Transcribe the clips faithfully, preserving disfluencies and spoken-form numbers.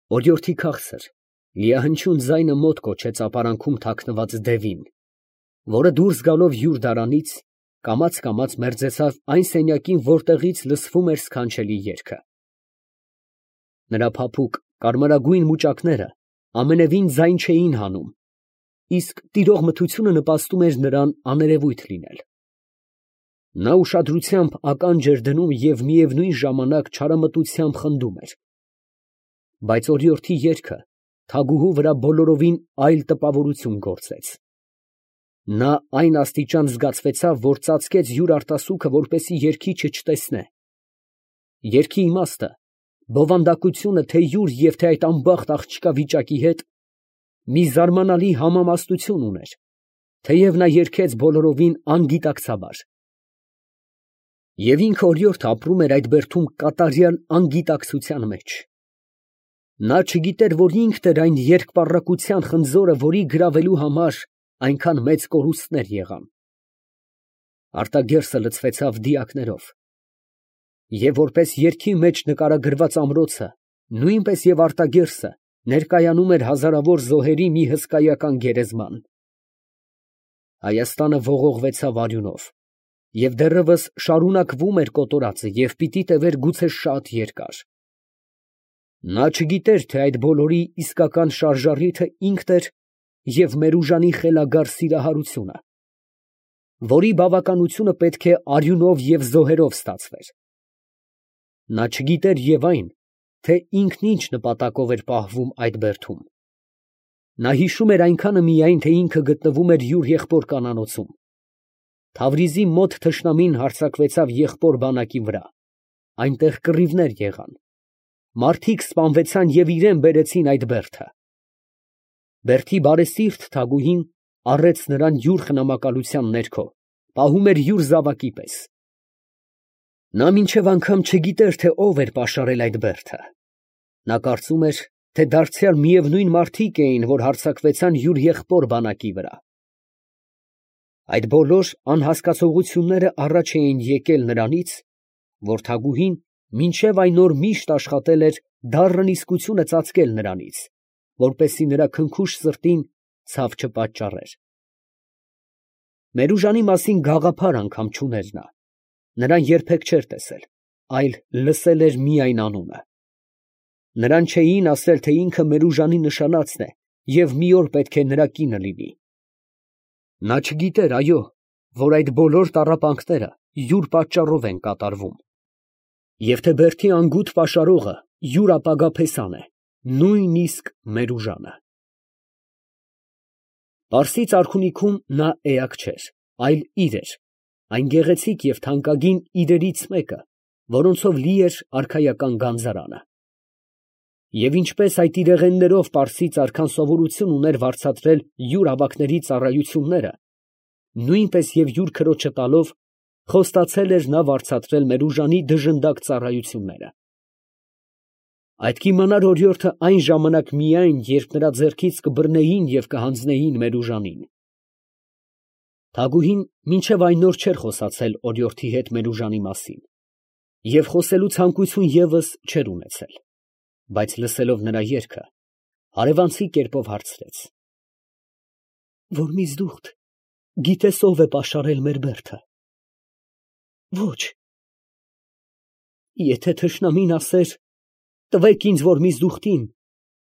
Օրիորդի քաղցր, լիահնչյուն ձայնը մոտ կոչեց ապարանքում թաքնված դևին, որը դուրս գալով յուր դարանից, կամաց֊կամաց մերձեցավ այն սենյակին, որտեղից լսվում էր սքանչելի երգը։ Նրա փափուկ կարմրագույն մուճակները ամենևին ձայն չէին հանում, իսկ տիրող մթությունը նպաստում էր նրան աներևույթ լինել։ Նա ուշադրությամբ ականջ էր դնում և միևնույն ժամանակ չարամտությամբ խնդում էր։ Բայց օրիորդի երգը թագուհու վրա բոլորովին այլ տպավորություն գործեց։ Նա այն աստիճան զգացվեցավ, որ ծածկեց յուր արտասուքը, որպեսզի երգիչը չտեսնե։ Երգի իմաստը, բովանդակությունը թե յուր և թե այդ անբախտ աղջկա վիճակի հետ մի զարմանալի համամաստություն ուներ, թեև նա երգեց բոլորովին անգիտակցաբար։ Եվ ինքն օրիորդը ապրում էր այդ բերդում կատարյալ անգիտակցության մեջ։ Նա չգիտեր, որ ինքն էր այն երկպառակտության խնձորը, որի գրավելու համար այնքան մեծ կորուստներ եղան։ Արտագերսը լցվեցավ դիակներով, և որպես երգի մեջ նկարագրված ամրոցը, նույնպես և արտագերսը ներկայանում էր հազարավոր զոհերի մի հսկայական գերեզման։ Հայաստանը ողողվեցավ արյունով, և դեռևս շարունակվում էր կոտորածը և պիտի տևեր գուցե շատ երկար։ Նա չգիտեր, թե այդ բոլորի իսկական շարժառիթը ինքն էր և Մերուժանի խելագար սիրահարությունը, որի բավականությունը պետք է արյունով և զոհերով ստացվեր։ Նա չգիտեր և այն, թե ինքն ինչ նպատակով էր պահվում այդ բերդում։ Նա հիշում էր այնքանը միայն, թե ինքը գտնվում էր յուր եղբոր կանանոցում։ Թավրիզի մոտ թշնամին հարձակվեցավ եղբոր բանակի վրա, այնտեղ կռիվներ եղան, մարդիկ սպանվեցան և իրան բերեցին այդ բերդը։ Բերդի բարեսիրտ թագուհին առեց նրան յուր խնամակալության ներքո, պահում էր յուր զավակի պես։ Նա մինչև անգամ չգիտեր, թե ով էր պաշարել այդ բերդը։ Նա կարծում էր, թե դարձյալ միևնույն մարդիկ էին, որ հարձակվեցան յուր եղբոր բանակի վրա։ Այդ բոլոր անհասկացողությունները առաջ էին եկել նրանից, որ թագուհին մինչև այն օր միշտ աշխատել էր դառն իսկությունը ծածկել նրանից, որպեսզի նրա քնքուշ սրտին ցավ չպատճառեր։ Մերուժանի մասին գաղափար անգամ չուներ նա. նրան երբեք չէր տեսել, այլ լսել էր միայն անունը։ Նրան չէին ասել, թե ինքը Մերուժանի նշանածն է և մի օր պետք է նրա կինը լինի։ Նա չգիտեր, այո, որ այդ բոլոր տառապանքները յուր պատճառով են կատարվում, և թե բերդի անգութ պաշարողը յուր ապագա փեսան է, նույնիսկ Մերուժանը։ Պարսից արքունիքում նա էակ չէր, այլ իր էր, այն գեղեցիկ և թանկագին իրերից մեկը, որոնցով լի էր արքայական գանձարանը։ Եվ ինչպես այդ իրեղեններով պարսից արքան սովորություն ուներ վարձատրել յուր ավագների ծառայությունները, նույնպես և յուր քրոջը տալով, խոստացել էր նա վարձատրել Մերուժանի դժնդակ ծառայությունները։ Այդ կիմանար օրիորդը այն ժամանակ միայն, երբ նրա ձեռքից կբռնեին և կհանձնեին Մերուժանին։ Թագուհին մինչև այն օր չէր խոսացել օրիորդի հետ Մերուժանի մասին և խոսելու ցանկություն ևս չէր ունեցել, բայց լսելով նրա երգը, հարևանցի կերպով հարցրեց. ֊ Որ միզդուխտ գիտես ով է պաշարել մեր բերդը։ ֊ Ոչ։ ֊ Եթե թշնամին ասեր. «Տվեք ինձ, որ միզդուխտին,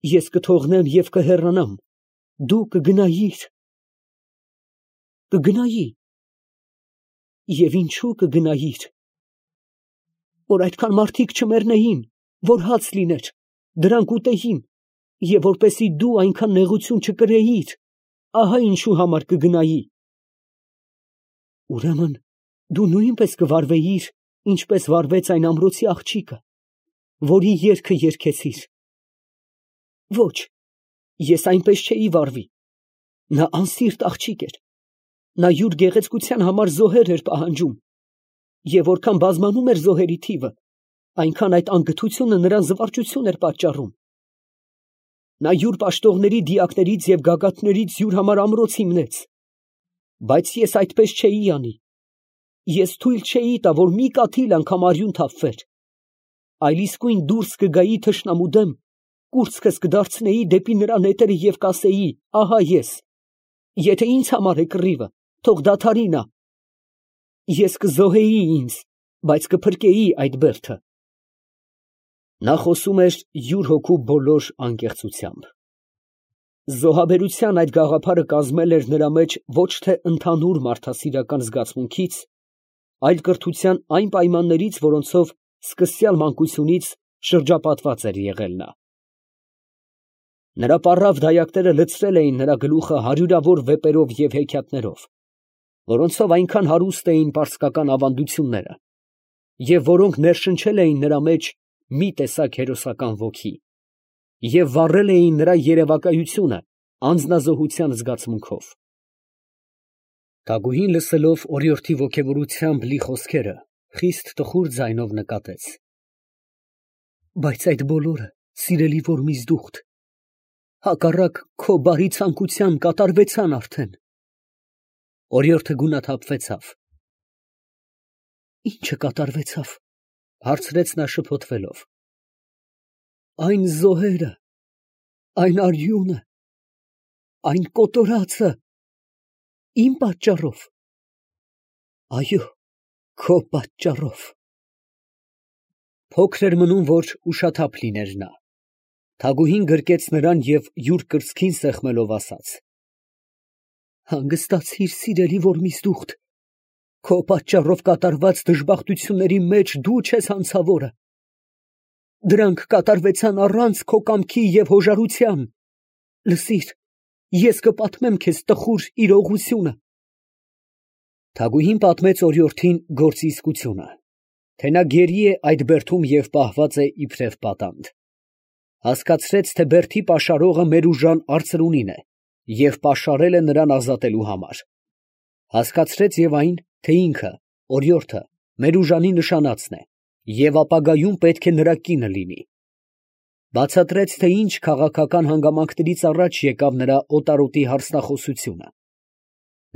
ես կթողնեմ և կհեռանամ», դու կգնայիր։ ֊ Կգնայի։ ֊ Եվ ինչո՞ւ կգնայիր։ ֊ Որ այդքան մարդիկ չմեռնեին, որ հաց լիներ, դրանք ուտեին, և որպեսզի դու այնքան նեղություն չկրեիր, ահա ինչու համար կգնայի։ ֊ Ուրեմն դու նույնպես կվարվեիր, ինչպես վարվեց այն ամրոցի աղջիկը, որի երգը երգեցիր։ ֊ Ոչ, ես այնպես չէի վարվի. նա անսիրտ աղջիկ էր, նա յուր գեղեցկության համար զոհեր էր պահանջում, և որքան բազմանում էր զոհերի թիվը, այնքան այդ անգթությունը նրան զվարճություն էր պատճառում։ Նա յուր պաշտողների դիակներից և գագաթներից յուր համար ամրոց հիմնեց, բայց ես այդպես չէի անի. ես թույլ չէի տա, որ մի կաթիլ անգամ արյուն թափվեր, այլ իսկույն դուրս կգայի թշնամու դեմ կուրծքս կդարձնեի դեպի նրա նետերը և կասեի. ահա ես, եթե ինձ համար է կռիվը, թող դադարի նա. ես կզոհեի ինձ, բայց կփրկեի այդ բերդը։ Նա խոսում էր յուր հոգու բոլոր անկեղծությամբ։ Զոհաբերության այդ գաղափարը կազմել էր նրա մեջ ոչ թե ընդհանուր մարդասիրական զգացմունքից, այլ կրթության այն պայմաններից, որոնցով սկսյալ մանկությունից շրջապատված էր եղել նա։ Նրա պառավ դայակները լցրել էին նրա գլուխը հարյուրավոր վեպերով և հեքիաթներով, որոնցով այնքան հարուստ էին պարսկական ավանդությունները, և որոնք ներշնչել էին նրա մեջ մի տեսակ հերոսական ոգի, և վառել էին նրա երևակայությունը անձնազոհության զգացմունքով։ Թագուհին լսելով օրիորդի ոգևորությամբ լի խոսքերը, խիստ տխուր ձայնով նկատեց. բայց այդ բոլորը, սիրելի Որմիզդուխտ, հակառակ քո բարի ցանկության կատարվեցան արդեն։ Օրիորդը գունաթափվեցավ։ Ի՞նչը կատարվեցավ, հարցրեց նա շփոթվելով։ Այն զոհերը, այն արյունը, այն կոտորածը, իմ պատճառով։ Այո, քո պատճառով։ Փոքր էր մնում, որ ուշաթափ լիներ նա։ Թագուհին գրկեց նրան և յուր կրծքին սեղմելով ասաց. հանգստացիր, սիրելի Որմիզդուխտ, քո պատճառով կատարված դժբախտությունների մեջ դու չես հանցավորը։ Դրանք կատարվեցան առանց քո կամքի և հոժարության։ Լսիր, ես կպատմեմ քեզ տխուր իրողությունը։ Թագուհին պատմեց օրիորդին գործի իսկությունը, թե նա գերի է այդ բերդում և պահված է իբրև պատանդ։ Հասկացրեց, թե բերդի պաշարողը Մերուժան արծրունին է և պաշարել է նրան ազատելու համար։ Հասկացրեց և այն, թե ինքը, օրիորդը, Մերուժանի նշանածն է և ապագայում պետք է նրա կինը լինի։ Բացատրեց, թե ինչ քաղաքական հանգամանքներից առաջ եկավ նրա օտարոտի հարցնախոսությունը։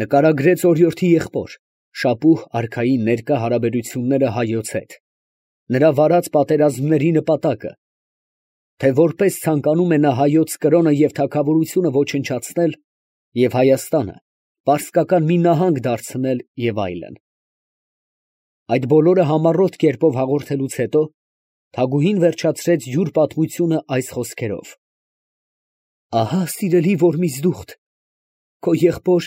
Նկարագրեց օրիորդի եղբոր, Շապուհ արքայի ներկա հարաբերությունները հայոց հետ, նրա վարած պատերազմների նպատակը, թե որպես ցանկանում է նա հայոց կրոնը և թագավորությունը ոչնչացնել և Հայաստանը պարսկական մի նահանգ դարձնել և այլն։ Այդ բոլորը համառոտ կերպով հաղորդելուց հետո թագուհին վերջացրեց յուր պատմությունը այս խոսքերով. ահա, սիրելի Որմիզդուխտ, քո եղբոր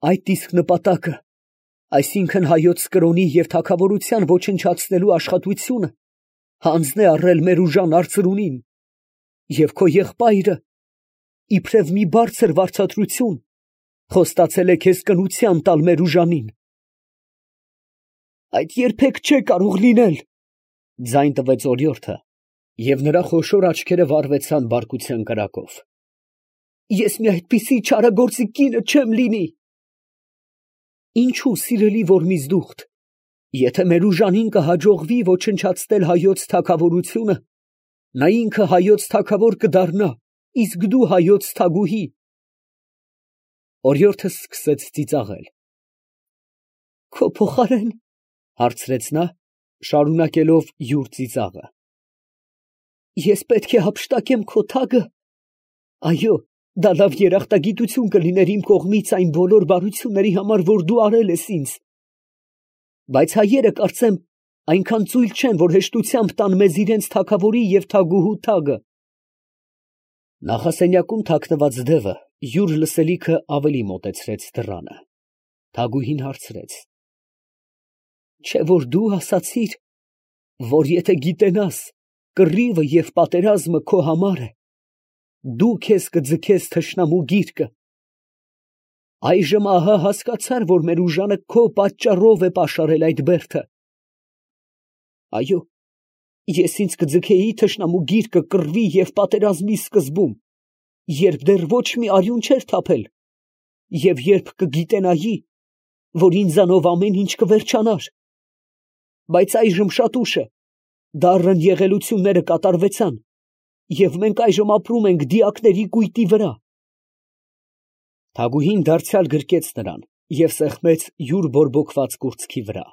այդ իսկ նպատակը, այսինքն հայոց կրոնի և թագավորության ոչնչացնելու աշխատությունը հանձն է առել Մերուժան արծրունին, և քո եղբայրը, իբրև մի բարձր վարձատրություն, խոստացել է քեզ կնության տալ Մերուժանին։ Այդ երբեք չէ կարող լինել, ձայն տվեց օրիորդը, և նրա խոշոր աչքերը վառվեցան բարկության կրակով։ Ես մի այդպիսի չարագործի կինը չեմ լինի։ Ինչո՞ւ, սիրելի Որմիզդուխտ, եթե Մերուժանին կհաջողվի ոչնչացնել հայոց թագավորությունը, նա ինքը հայոց թագավոր կդառնա, իսկ դու հայոց թագուհի։ Օրիորդը սկսեց ծիծաղել։ Քո փոխարեն, հարցրեց նա, շարունակելով յուր ծիծաղը, ես պետք է հափշտակեմ քո թագը։ Այո, դա լավ երախտագիտություն կլիներ իմ կողմից այն բոլոր բարությունների համար, որ դու արել ես ինձ։ Բայց հայերը, կարծեմ, այնքան ծույլ չեն, որ հեշտությամբ տան մեզ իրենց թագավորի և թագուհու թագը։ Նախասենյակում թաքնված դևը յուր լսելիքը ավելի մոտեցրեց դռանը։ Թագուհին հարցրեց. չէ՞ որ դու ասացիր, որ եթե գիտենաս, կռիվը և պատերազմը քո համար է, դու քեզ կձգես թշնամու գիրկը։ Այժմ ահա հասկացար, որ Մերուժանը քո պատճառով է պաշարել այդ բերդը։ Այո, ես ինձ կձգեի թշնամու գիրկը կռվի և պատերազմի սկզբում, երբ դեռ ոչ մի արյուն չէր թափել, և երբ կգիտենայի, որ ինձանով ամեն ինչ կվերջանար։ Բայց այժմ շատ ուշ է, դառն եղելությունները կատարվեցան, և մենք այժմ ապրում ենք դիակների կույտի վրա։ Թագուհին դարձյալ գրկեց նրան և սեղմեց յուր բորբոքված կուրծքի վրա։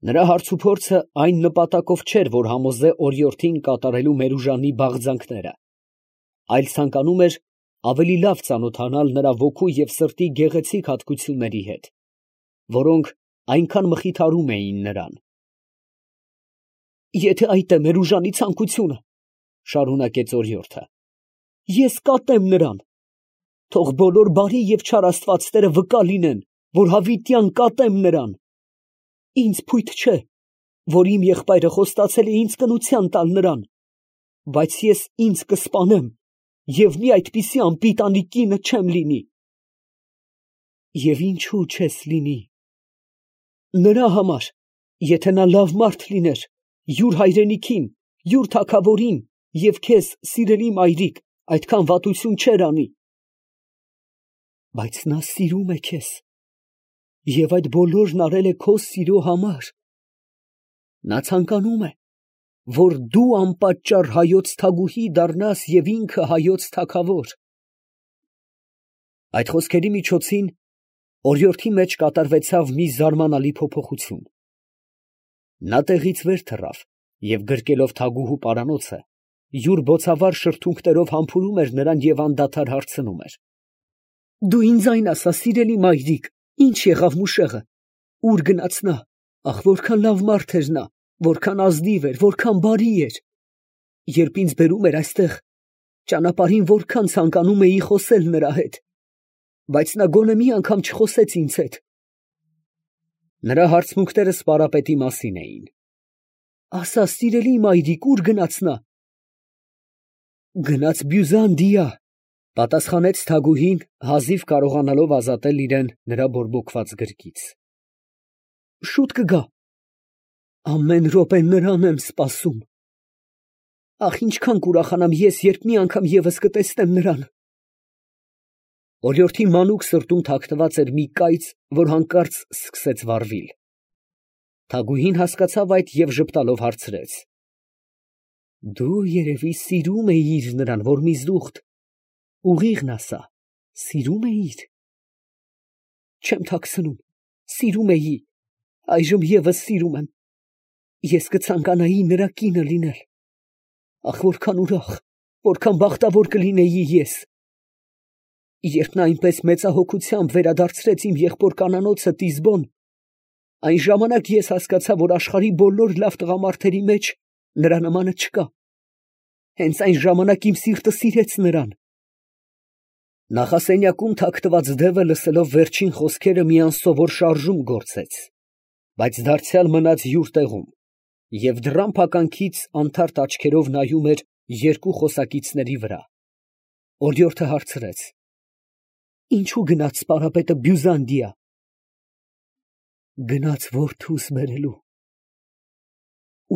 Նրա հարցուփորձը այն նպատակով չէր, որ համոզե օրիորդին կատարելու Մերուժանի բաղձանքները, այլ ցանկանում էր ավելի լավ ծանոթանալ նրա ոգու և սրտի գեղեցիկ հատկությունների հետ, որոնք այնքան մխիթարում էին նրան։ «Եթե այդ է Մերուժանի ցանկությունը, ֊ շարունակեց օրիորդը, ֊ ես կատեմ նրան. թող բոլոր բարի և չար աստվածները վկա լինեն, որ հավիտյան կատեմ նրան։ Ինձ փույթ չէ, որ իմ եղբայրը խոստացել է ինձ կնության տալ նրան, բայց ես ինձ կսպանեմ և մի այդպիսի անպիտանի կինը չեմ լինի»։ «Եվ ինչո՞ւ չես լինի»։ «Նրա համար, եթե նա լավ մարդ լիներ, յուր հայրենիքին, յուր թագավորին և քեզ, սիրելի մայրիկ, այդքան վատություն չէր անի»։ «Բայց նա սիրում է քեզ, և այդ բոլորն արել է քո սիրո համար։ Նա ցանկանում է, որ դու անպատճառ հայոց թագուհի դառնաս և ինքը հայոց թագավոր»։ Այդ խոսքերի միջոցին օրիորդի մեջ կատարվեցավ մի զարմանալի փոփոխություն. նա տեղից վեր թռավ և գրկելով թագուհու պարանոցը, յուր բոցավառ շրթունքներով համբուրում էր նրան և անդադար հարցնում էր. «Դու ինձ այն ասա, սիրելի մայրիկ, ի՞նչ եղավ մուշեղը, ո՞ւր գնաց նա, ախ, որքան լավ մարդ էր նա, որքան ազնիվ էր, որքան բարի էր, երբ ինձ բերում էր այստեղ, ճանապարհին որքան ցանկանում էի խոսել նրա հետ, բայց նա գոնե մի անգամ չխոսեց ինձ հետ»։ Նրա հարցմունքները սպարապետի մասին էին։ «Ասա, սիրելի մայրիկ, ո՞ւր գնաց նա»։ «Գնաց Բյուզանդիա», ֊ պատասխանեց թագուհին, հազիվ կարողանալով ազատել իրան նրա բորբոքված գրկից։ «Շուտ կգա»։ «Ամեն րոպե նրան եմ սպասում»։ «Ախ, ինչքան կուրախանամ ես, երբ մի անգամ ևս կտեսնեմ նրան»։ Օրիորդի մանուկ սրտում թաքնված էր մի կայծ, որ հանկարծ սկսեց վառվել։ Թագուհին հասկացավ այդ և ժպտալով հարցրեց. «Դու երևի սիրում էիր նրան, որ մի զուխտ, ուղիղն ասա, սիրում էիր»։ «Չեմ թաքցնում, սիրում էի, այժմ ևս սիրում եմ, ես կցանկանայի նրա կինը լինել։ Ախ, որքան ուրախ, որքան բախտավոր կլինեի ես։ Երբ նա այնպես մեծահոգությամբ վերադարձրեց իմ եղբոր կանանոցը Տիզբոն, այն ժամանակ ես հասկացա, որ աշխարհի բոլոր լավ տղամարդերի մեջ նրա նմանը չկա։ Հենց այն ժամանակ իմ սիրտը սիրեց նրան»։ Նախասենյակում թաքնված դևը, լսելով վերջին խոսքերը, մի անսովոր շարժում գործեց, բայց դարձյալ մնաց յուր տեղում և դռան փականքից անթարթ աչքերով նայում էր երկու խոսակիցների վրա։ Օրիորդը հարցրեց. «Ինչո՞ւ գնաց սպարապետը Բյուզանդիա»։ «Գնաց որդուս բերելու»։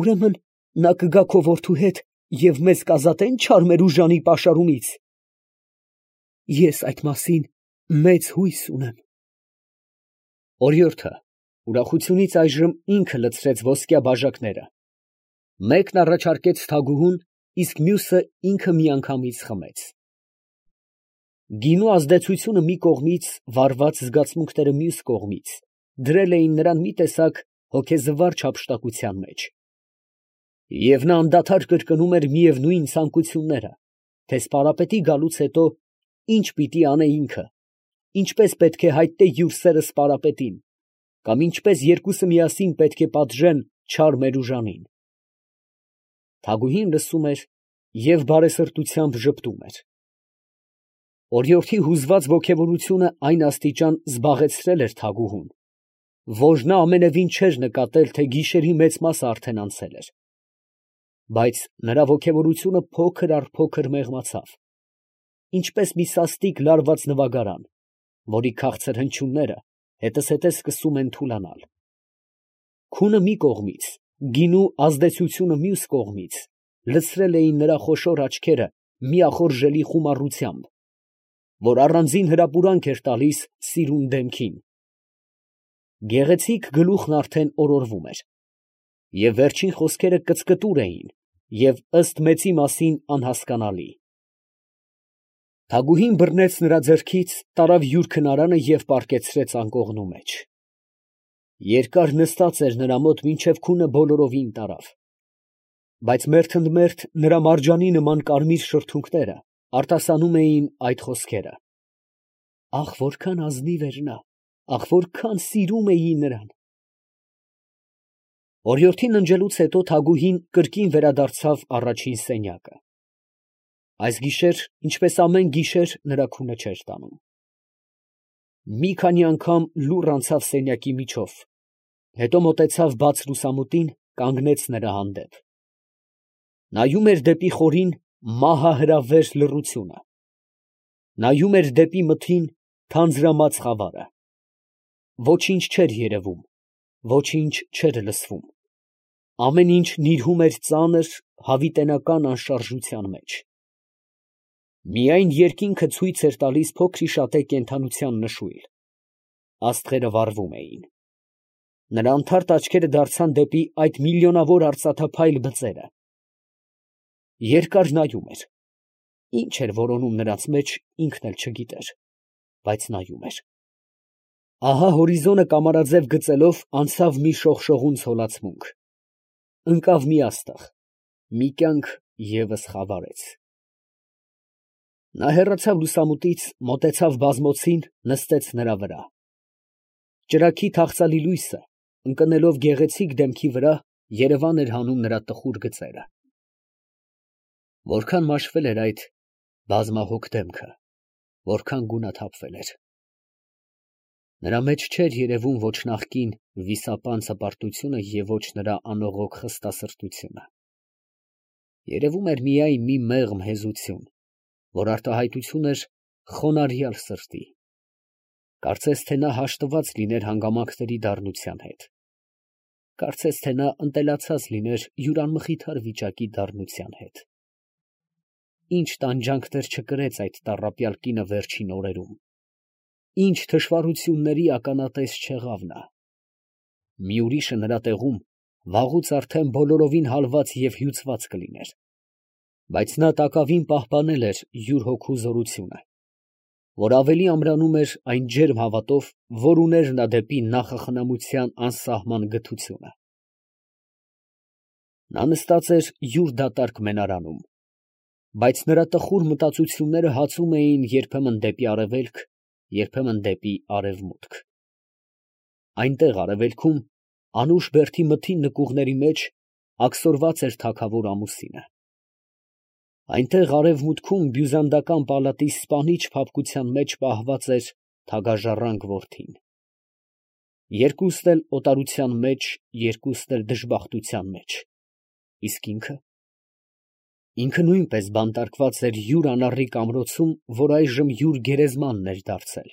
«Ուրեմն նա կգա քո որդու հետ և մեզ կազատե՞ն չար Մերուժանի պաշարումից»։ «Ես այդ մասին մեծ հույս ունեմ»։ Օրիորդը ուրախությունից այժմ ինքը լցրեց ոսկյա բաժակները. մեկն առաջարկեց թագուհուն, իսկ մյուսը ինքը միանգամից խմեց։ Գինու ազդեցությունը մի կողմից, վառված զգացմունքները մյուս կողմից, դրել էին նրան մի տեսակ հոգեզվար չափշտակության մեջ։ Եվ նա անդադար կրկնում էր միևնույն ցանկությունները, թե սպարապետի գալուց հետո ինչ պիտի անը ինքը, ինչպես պետք է հայտնե յուր սերը սպարապետին, կամ ինչպես երկուսը միասին պետք է պատժեն չար Մերուժանին։ Թագուհին լսում էր և բարեսրտությամբ ժպտում էր։ Օրիորդի հուզված ոգևորությունը այն աստիճան զբաղեցրել էր թագուհուն, որ նա ամենևին չէր նկատել, թե գիշերի մեծ մասը արդեն անցել էր։ Բայց նրա ոգևորությունը փոքր առ փոքր մեղմացավ, ինչպես մի սաստիկ լարված նվագարան, որի քաղցր հնչյունները հետզհետե սկսում են թուլանալ։ Քունը մի կողմից, գինու ազդեցությունը մյուս կողմից լցրել էին նրա խոշոր աչքերը մի ախորժելի խումարությամբ, որ առանձին հրապուրանք էր տալիս սիրուն դեմքին։ Գեղեցիկ գլուխն արդեն օրորվում էր, և վերջին խոսքերը կծկտուր էին և ըստ մեծի մասին անհասկանալի։ Թագուհին բռնեց նրա ձեռքից, տարավ յուր քնարանը և պառկեցրեց անկողնու մեջ։ Երկար նստած էր նրա մոտ, մինչև քունը բոլորովին տարավ. բայց մերթընդմերթ նրա մարջանի նման կարմիր շրթունքները արտասանում էին այդ խոսքերը. «Ախ, որքան ազնիվ էր նա, ախ, որքան սիրում էի նրան»։ Օրիորդին ննջելուց հետո Թագուհին կրկին վերադարձավ առաջին սենյակը. այս գիշեր, ինչպես ամեն գիշեր, նրա քունը չէր տանում. մի քանի անգամ լուռ անցավ սենյակի միջով, հետո մոտեցավ բաց լուսամուտին, կանգնեց նրա հանդեպ. նայում էր դեպի խորին մահահրավեր լռությունը, նայում էր դեպի մթին թանձրամած խավարը. ոչինչ չէր երևում, ոչինչ չէր լսվում, ամեն ինչ նիրհում էր ծանր, հավիտենական անշարժության մեջ. միայն երկինքը ցույց էր տալիս փոքրիշատե կենդանության նշույլ. աստղերը վառվում էին. նրա անթարթ աչքերը դարձան դեպի այդ միլիոնավոր արծաթափայլ բծերը. երկար նայում էր. ինչ էր որոնում նրանց մեջ, ինքն էլ չգիտեր, բայց նայում էր. ահա հորիզոնը կամարաձև գծելով անցավ մի շողշողուն ցոլացմունք, ընկավ մի աստղ, մի կյանք ևս խավարեց. նա հեռացավ լուսամուտից, մոտեցավ բազմոցին, նստեց նրա վրա. ճրագի թախծալի լույսը, ընկնելով գեղեցիկ դեմքի վրա, երևան էր հանում նրա տխուր գծերը. որքան մաշվել էր այդ բազմահոգ դեմքը, որքան գունաթափվել էր. նրա մեջ չէր երևում ոչ նախկին վիսապան հպարտությունը և ոչ նրա անողոք խստասրտությունը. երևում էր միայն մի մեղմ հեզություն, որ արտահայտություն էր խոնարհյալ սրտի. կարծես թե նա հաշտված լիներ հանգամանքների դառնության հետ, կարծես թե նա ընտելացած լիներ յուր անմխիթար վիճակի դառնության հետ. ինչ տանջանքներ չկրեց այդ տառապյալ կինը վերջին օրերում, ինչ թշվառությունների ականատես չեղավ նա. մի ուրիշը նրա տեղում վաղուց արդեն բոլորովին հալված և հյուծված կլիներ, բայց նա տակավին պահպանել էր յուր հոգու զորությունը, որ ավելի ամրանում էր այն ջերմ հավատով, որ ուներ նա դեպի նախախնամության անսահման գթությունը։ նա նստած էր յուր դատարկ մենարանում, բայց նրա տխուր մտածությունները հացում էին երբեմն դեպի արևելք, երբեմն դեպի արևմուտք։ այնտեղ արևելքում, անուշ բերդի մթին նկուղների մեջ, աքսորված էր թագավոր ամուսինը. այնտեղ արևմուտքում բյուզանդական պալատի սպանիչ փափկության մեջ պահված էր թագաժառանգ որդին. երկուստ էլ օտարության մեջ, երկուստ էլ դժբախտության մեջ, իսկ ինքը… ինքը նույնպես բանտարկված էր յուր անառիկ ամրոցում, որ այժմ յուր գերեզմանն էր դարձել։